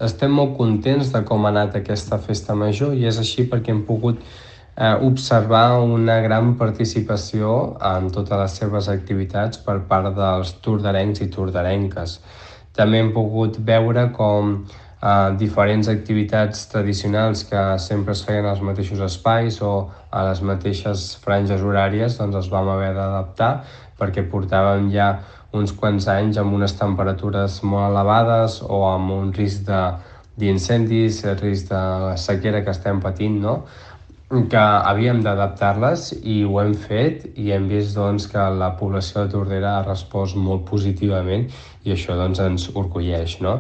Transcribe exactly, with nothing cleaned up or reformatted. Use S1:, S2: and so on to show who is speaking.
S1: estem molt contents de com ha anat aquesta festa major i és així perquè hem pogut eh, observar una gran participació en totes les seves activitats per part dels tordarencs i tordarenques. També hem pogut veure com eh, diferents activitats tradicionals que sempre es feien als mateixos espais o a les mateixes franges horàries doncs es vam haver d'adaptar perquè portàvem ja uns quants anys amb unes temperatures molt elevades o amb un risc d'incendis, el risc de la sequera que estem patint, no? que havíem d'adaptar-les i ho hem fet i hem vist doncs, que la població de Tordera ha respost molt positivament i això doncs, ens orgulleix. No?